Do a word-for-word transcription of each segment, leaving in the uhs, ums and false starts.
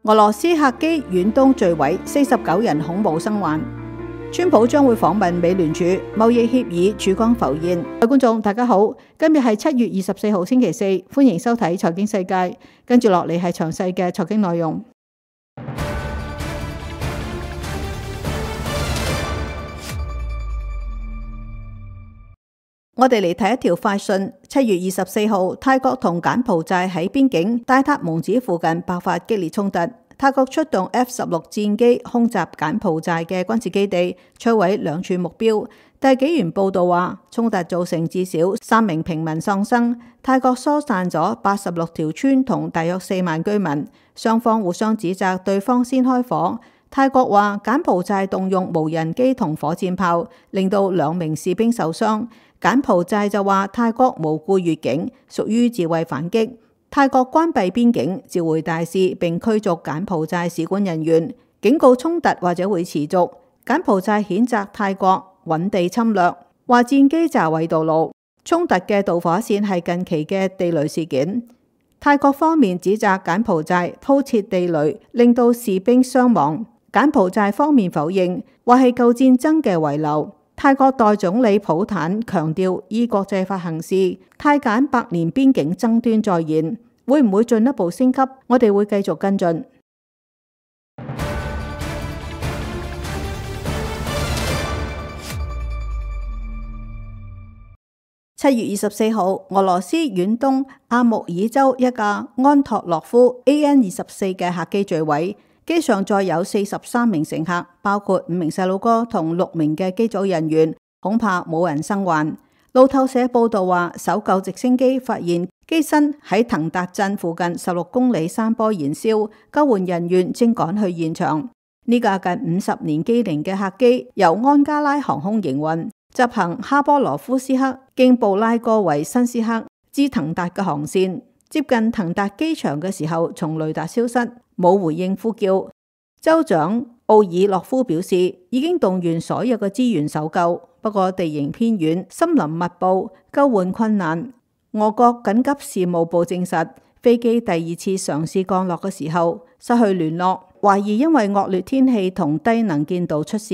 俄羅斯客機遠東墜毀，四十九人恐怖生還。川普將會訪問美聯儲，貿易協議曙光浮現。各位觀眾大家好，今日係七月二十四號星期四，歡迎收睇財經世界。跟住落嚟係詳細嘅財經內容。我哋嚟睇一條快訊。七月二十四號，泰國同柬埔寨喺邊境大塔蒙子附近爆發激烈衝突。泰國出動 F 十六戰機空襲柬埔寨嘅軍事基地，摧毀兩處目標。大紀元報道話，衝突造成至少三名平民喪生。泰國疏散咗八十六條村同大約四萬居民，雙方互相指責對方先開火。泰國話柬埔寨動用無人機同火箭炮，令到兩名士兵受傷。柬埔寨就話泰國無故越境，屬於自衛反擊。泰國關閉邊境，召回大使並驅逐柬埔寨使館人員，警告衝突或者會持續。柬埔寨譴責泰國揾地侵略，話戰機炸毀道路。衝突嘅導火線係近期嘅地雷事件。泰國方面指責柬埔寨鋪設地雷，令到士兵傷亡。柬埔寨方面否認，話係舊戰爭嘅遺留。泰國代總理普坦強調依國際法行事，泰柬百年邊境爭端再現，會唔會進一步升級？我哋會繼續跟進。七月二十四號，俄羅斯遠東阿穆爾州一架安托洛夫 A N 二十四嘅客機墜毀。機上載有四十三名乘客，包括五名細路哥同六名嘅機組人員，恐怕冇人生還。路透社報道話，搜救直升機發現機身喺騰達鎮附近十六公里山坡燃燒，救援人員正趕去現場。呢架近五十年機齡嘅客機由安加拉航空營運，執行哈波羅夫斯克經布拉戈維新斯克至騰達嘅航線。接近騰達機場嘅時候，從雷達消失，冇回應呼叫。州長奧爾洛夫表示，已經動員所有嘅資源搜救，不過地形偏遠，森林密布，救援困難。俄國緊急事務部證實，飛機第二次嘗試降落嘅時候失去聯絡，懷疑因為惡劣天氣同低能見度出事。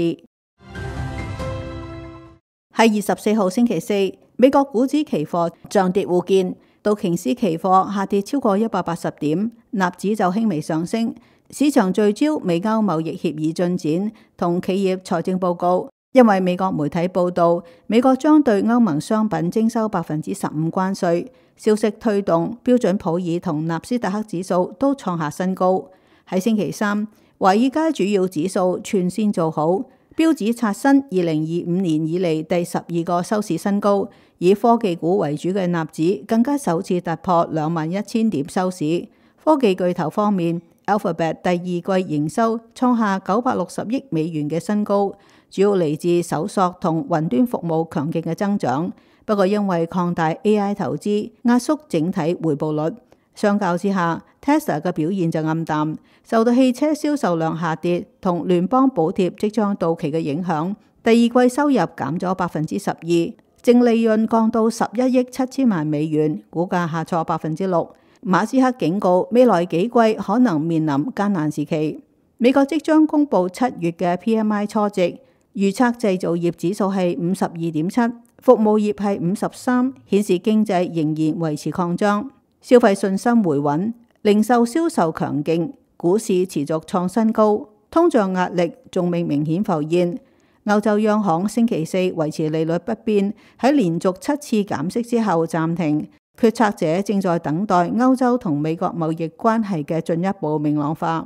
喺二十四號星期四，美國股指期貨漲跌互見。道瓊斯期貨下跌超過一百八十點，納指就輕微上升。市場聚焦美歐貿易協議進展同企業財政報告，因為美國媒體報道，美國將對歐盟商品徵收百分之十五關稅。消息推動標準普爾同納斯達克指數都創下新高。喺星期三，華爾街主要指數全線做好，標指刷新二零二五年以嚟第十二個收市新高。以科技股為主嘅納指更加首次突破兩萬一千點收市。科技巨頭方面 ，Alphabet 第二季營收創下九百六十億美元嘅新高，主要嚟自搜索同雲端服務強勁嘅增長。不過因為擴大 A I 投資，壓縮整體回報率。相較之下 ，Tesla 嘅表現就暗淡，受到汽車銷售量下跌同聯邦補貼即將到期嘅影響，第二季收入減咗百分之十二。淨利潤降到十一億七千萬美元，股價下挫百分之六。馬斯克警告未來幾季可能面臨艱難時期。美國即將公布七月嘅 P M I 初值，預測製造業指數係五十二點七，服務業係五十三，顯示經濟仍然維持擴張，消費信心回穩，零售銷售強勁，股市持續創新高，通脹壓力仲未明顯浮現。歐洲央行星期四維持利率不變，喺連續七次減息之後暫停。決策者正在等待歐洲同美國貿易關係嘅進一步明朗化。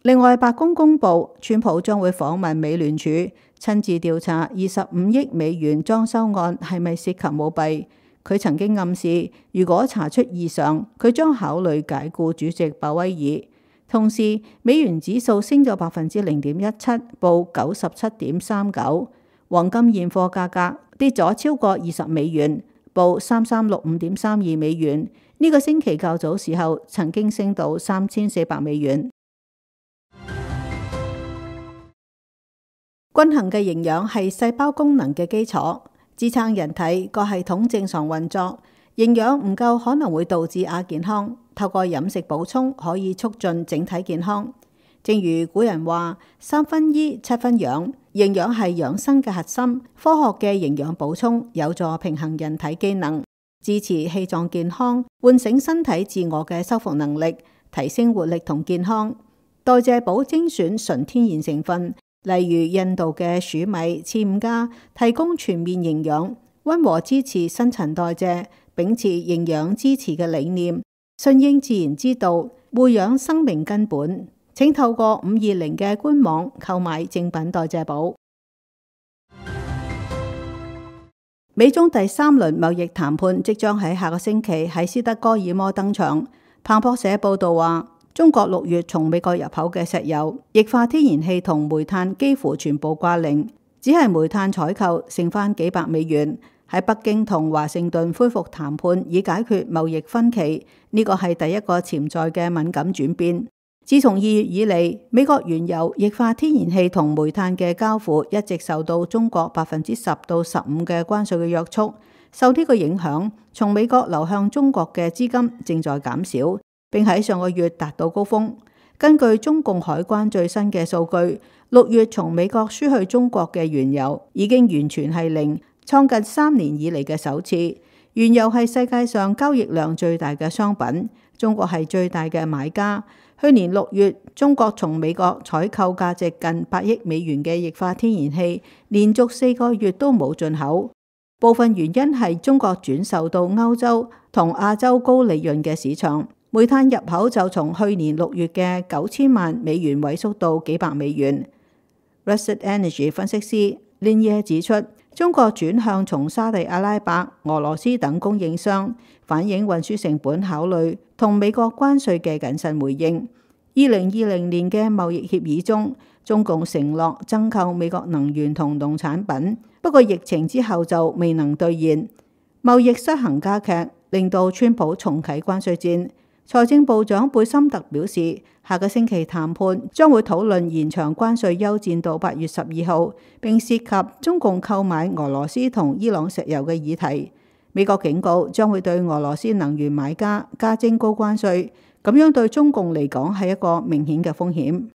另外，白宮公布，川普將會訪問美聯儲，親自調查二十五億美元裝修案係咪涉及舞弊。佢曾經暗示，如果查出異常，佢將考慮解僱主席鮑威爾。同時，美元指數升咗百分之零點一七，報九十七點三九。黃金現貨價格跌咗超過二十美元，報三三六五點三二美元。呢、這個星期較早時候曾經升到三千四百美元。均衡嘅營養係細胞功能嘅基礎，支撐人體各系統正常運作。營養唔夠可能會導致亞健康。透過飲食補充可以促進整體健康。正如古人話：三分醫，七分養，營養係養生嘅核心。科學嘅營養補充有助平衡人體機能，支持氣臟健康，喚醒身體自我嘅修復能力，提升活力同健康。代謝補精選純天然成分，例如印度嘅黍米、刺五加，提供全面營養，溫和支持新陳代謝，秉持營養支持嘅理念，順應自然之道，護養生命根本。請透過五二零嘅官網購買正品代謝補。美中第三輪貿易談判即將喺下個星期喺斯德哥爾摩登場。彭博社報道話，中國六月從美國入口嘅石油、液化天然氣同煤炭幾乎全部掛零，只係煤炭採購剩翻幾百美元。喺北京同華盛頓恢復談判以解決貿易分歧，呢個係第一個潛在嘅敏感轉變。自從二月以嚟，美國原油、液化天然氣同煤炭嘅交付一直受到中國百分之十到十五嘅關稅嘅約束。受呢個影響，從美國流向中國嘅資金正在減少，並喺上個月達到高峰。根據中共海關最新嘅數據，六月從美國輸去中國嘅原油已經完全係零，創近三年以嚟嘅首次。原油係世界上交易量最大嘅商品，中國係最大嘅買家。去年六月，中國從美國採購價值近八億美元嘅液化天然氣，連續四個月都冇進口。部分原因係中國轉售到歐洲同亞洲高利潤嘅市場。煤炭入口就從去年六月嘅九千萬美元萎縮到幾百美元。Russet Energy 分析師 Lin 指出，中國轉向從沙地阿拉伯、俄羅斯等供應商，反映運輸成本考慮同美國關稅嘅謹慎回應。二零二零年嘅貿易協議中，中共承諾增購美國能源同農產品，不過疫情之後就未能兌現，貿易失衡加劇，令到川普重啟關稅戰。財政部長貝森特表示，下個星期談判將會討論延長關稅休戰到八月十二號，並涉及中共購買俄羅斯同伊朗石油嘅議題。美國警告將會對俄羅斯能源買家加徵高關稅，咁樣對中共嚟講係一個明顯嘅風險。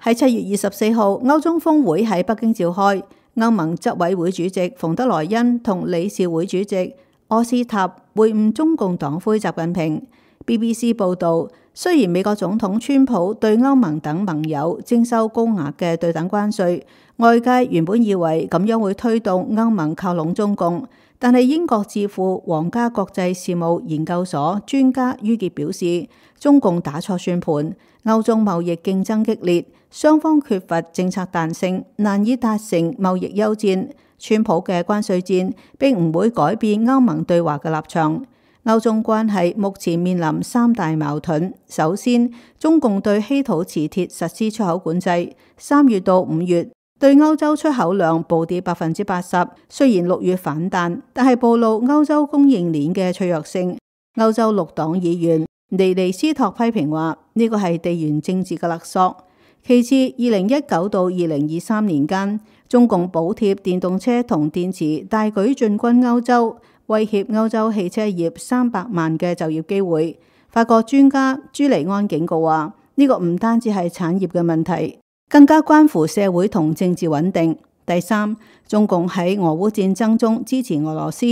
喺七月二十四號，歐中峰會喺北京召開，歐盟執委會主席馮德萊恩同理事會主席柯斯塔會晤中共黨魁習近平。B B C 報導，雖然美國總統川普對歐盟等盟友徵收高額嘅對等關稅，外界原本以為咁樣會推動歐盟靠攏中共，但係英國智庫皇家國際事務研究所專家于傑表示，中共打錯算盤，歐中貿易競爭激烈，雙方缺乏政策彈性，難以達成貿易休戰。川普嘅關稅戰並唔會改變歐盟對華嘅立場。歐中關係目前面臨三大矛盾。首先，中共對稀土磁鐵實施出口管制，三月到五月對歐洲出口量暴跌百分之八十。雖然六月反彈，但係暴露歐洲供應鏈嘅脆弱性。歐洲綠黨議員尼尼斯托批評話，呢個係地緣政治嘅勒索。其次，二零一九到二零二三年間，中共補貼電動車同電池大舉進軍歐洲，威脅歐洲汽車業三百萬嘅就業機會。法國專家朱利安警告話，呢個唔單止係產業嘅問題，更加關乎社會同政治穩定。第三，中共喺俄烏戰爭中支持俄羅斯。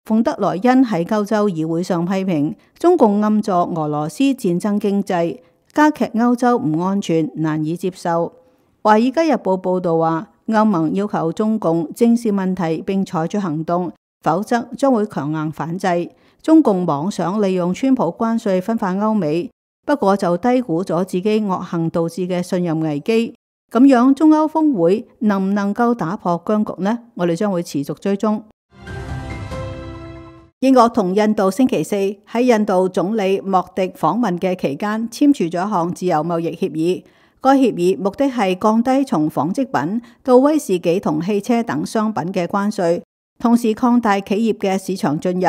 馮德萊恩喺歐洲議會上批評中共暗助俄羅斯戰爭經濟，加劇歐洲唔安全，難以接受。華爾街日報報導話，歐盟要求中共正視問題並採取行動，否則將會強硬反制。中共妄想利用川普關稅分化歐美，不過就低估咗自己惡行導致嘅信任危機。咁樣中歐峰會能唔能夠打破僵局呢？我哋將會持續追蹤。英國同印度星期四喺印度總理莫迪訪問嘅期間簽署咗一項自由貿易協議。該協議目的係降低從紡織品到威士忌同汽車等商品嘅關稅，同時擴大企業嘅市場進入。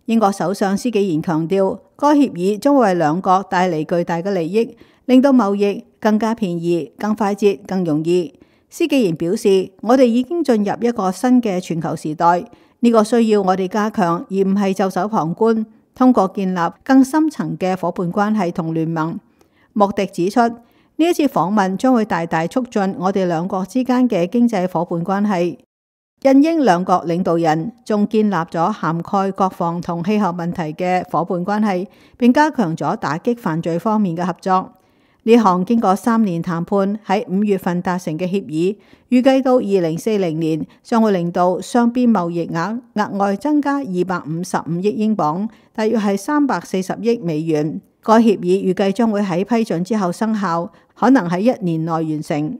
英國首相施紀賢強調，該協議將為兩國帶嚟巨大嘅利益，令到貿易更加便宜、更快捷、更容易。施紀賢表示，我哋已經進入一個新嘅全球時代，呢個需要我哋加強，而唔係袖手旁觀。通過建立更深層嘅夥伴關係同聯盟。莫迪指出，呢一次訪問將會大大促進我哋兩國之間嘅經濟夥伴關係。印英兩國領導人仲建立咗涵蓋國防同氣候問題嘅夥伴關係，並加強咗打擊犯罪方面嘅合作。呢項經過三年談判喺五月份達成嘅協議，預計到二零四零年將會令到雙邊貿易額額外增加二百五十五億英鎊，大約係三百四十億美元。該協議預計將會喺批准之後生效，可能喺一年內完成。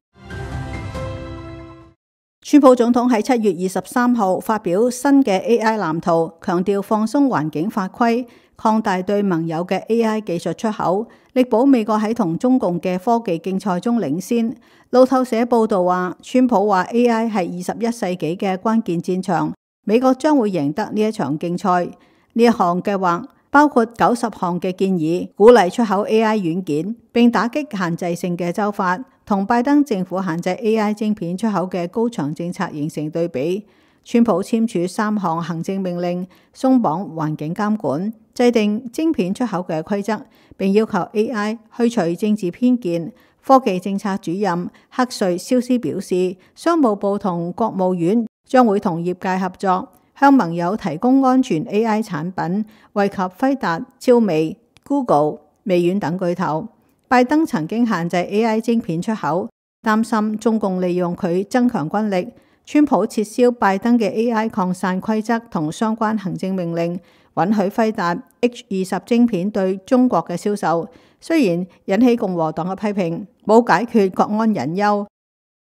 川普總統喺七月二十三號發表新嘅 A I 藍圖，強調放鬆環境法規，擴大對盟友嘅 A I 技術出口，力保美國喺同中共嘅科技競賽中領先。路透社報道話，川普話 A I 係二十一世紀嘅關鍵戰場，美國將會贏得呢一場競賽。呢一項計劃包括九十項嘅建議，鼓勵出口 A I 軟件，並打擊限制性嘅州法，同拜登政府限制 A I 晶片出口嘅高牆政策形成對比。川普簽署三項行政命令，鬆綁環境監管，制定晶片出口嘅規則，並要求 A I 去除政治偏見。科技政策主任克瑞肖斯表示，商務部同國務院將會同業界合作，向盟友提供安全 A I 產品，惠及輝達、超微、Google、微軟等巨頭。拜登曾經限制 A I 晶片出口，擔心中共利用佢增強軍力。川普撤銷拜登嘅 A I 擴散規則同相關行政命令，允許輝達 H 二十晶片對中國嘅銷售，雖然引起共和黨嘅批評，冇解決國安隱憂。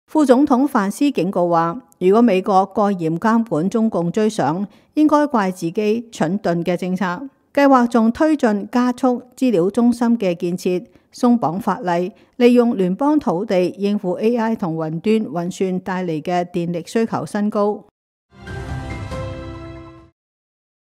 副總統范斯警告話，如果美國過嚴監管中共追上，應該怪自己蠢鈍嘅政策。計劃仲推進加速資料中心嘅建設，鬆綁法例，利用聯邦土地應付 A I 同雲端運算帶嚟嘅電力需求新高。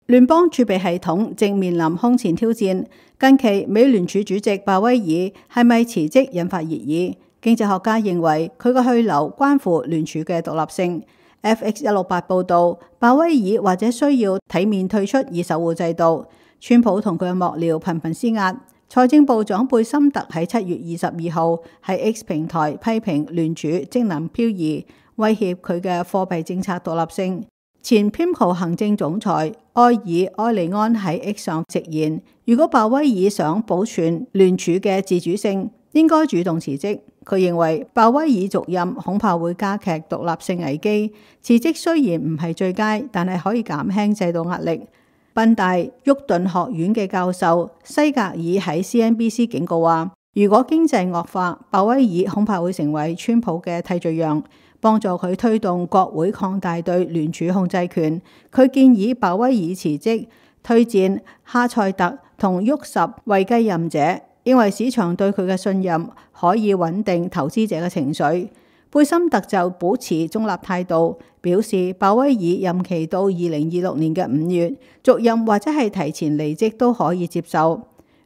聯邦儲備系統正面臨空前挑戰。近期美聯儲主席鮑威爾係咪辭職引發熱議？經濟學家認為佢嘅去留關乎聯儲嘅獨立性。F X 一六八報道，鮑威爾或者需要體面退出以守護制度。川普同佢嘅幕僚頻頻施壓。財政部長貝森特喺七月二十二號喺 X 平台批評聯儲職能漂移，威脅佢嘅貨幣政策獨立性。前 P I M C O 行政總裁埃爾埃利安喺 X 上直言，如果鮑威爾想保存聯儲嘅自主性，應該主動辭職。佢認為鮑威爾續任恐怕會加劇獨立性危機。辭職雖然唔係最佳，但係可以減輕制度壓力。賓大沃頓學院嘅教授西格爾喺 C N B C 警告話，如果經濟惡化，鮑威爾恐怕會成為川普嘅替罪羊，幫助佢推動國會擴大對聯儲控制權。佢建議鮑威爾辭職，推薦哈塞特同沃什為繼任者，認為市場對佢嘅信任可以穩定投資者嘅情緒。貝森特就保持中立態度，表示鮑威爾任期到二零二六年嘅五月，續任或者係提前離職都可以接受。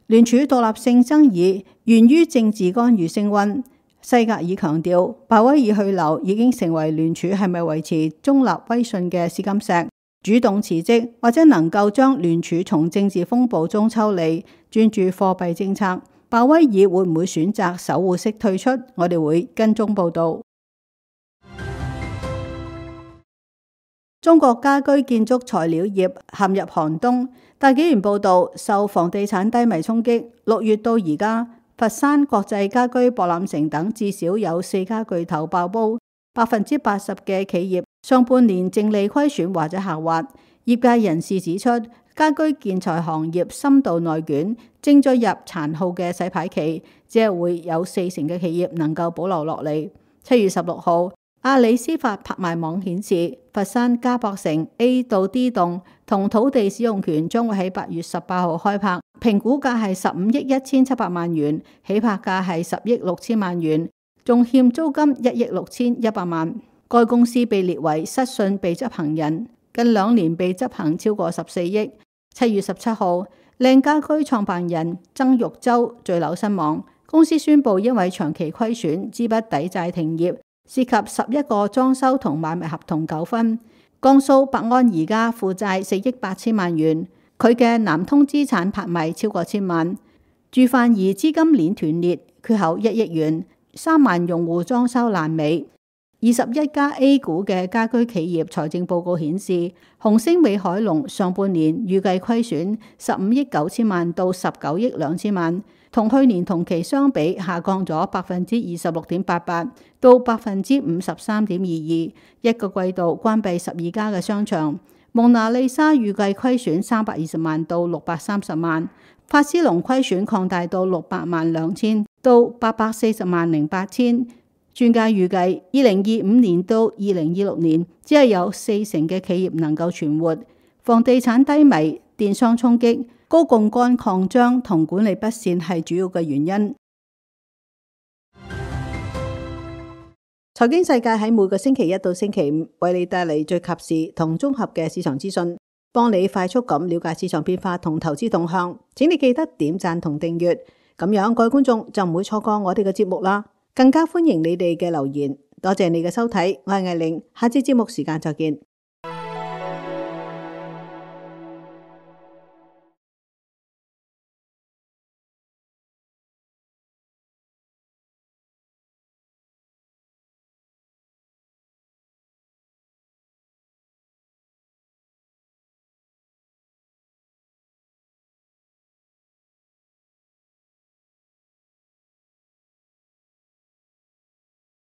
聯儲獨立性爭議源於政治干預升溫。西格爾強調，鮑威爾去留已經成為聯儲係咪維持中立威信嘅試金石。主動辭職或者能夠將聯儲從政治風暴中抽離，專注貨幣政策。鮑威爾會唔會選擇守護式退出？我哋會跟蹤報導。中國家居建築材料業陷入寒冬。大紀元報導，受房地產低迷衝擊，六月到而家，佛山國際家居博覽城等至少有四家巨頭爆煲，百分之八十嘅企業上半年淨利虧損或者下滑。業界人士指出，家居建材行業深度內捲，正進入殘酷嘅洗牌期，只係會有四成嘅企業能夠保留落嚟。七月十六號，阿里司法拍賣網顯示，佛山嘉博城 A 到 D 棟同土地使用權將會喺八月十八號開拍，評估價係十五億一千七百萬元，起拍價係十億六千萬元，仲欠租金一億六千一百萬。該公司被列為失信被執行人，近兩年被執行超過十四億。七月十七號，靚家居創辦人曾玉洲墜樓身亡，公司宣布因為長期虧損，資不抵債停業。涉及十一個裝修同買賣合同糾紛，江蘇百安宜家負債四億八千萬元，佢嘅南通資產拍賣超過千萬。住犯兒資金鏈斷裂，缺口一億元，三萬用戶裝修爛尾。二十一家 A 股嘅家居企業財政報告顯示，紅星美凱龍上半年預計虧損十五億九千萬到十九億兩千萬，同去年同期相比下降咗百分之二十六點八八到百分之五十三點二二。一個季度關閉十二家嘅商場。蒙娜麗莎預計虧損三百二十萬到六百三十萬，法斯隆虧損擴大到六百萬兩千到八百四十萬零八千。專家預計，二零二五年到二零二六年，只係有四成嘅企業能夠存活。房地產低迷、電商衝擊、高槓桿擴張同管理不善係主要嘅原因。財經世界喺每個星期一到星期五為你帶嚟最及時同綜合嘅市場資訊，幫你快速咁了解市場變化同投資動向。請你記得點讚同訂閱，咁樣各位觀眾就唔會錯過我哋嘅節目啦。更加歡迎你哋嘅留言，多謝你嘅收睇，我係艾玲，下次節目時間再見。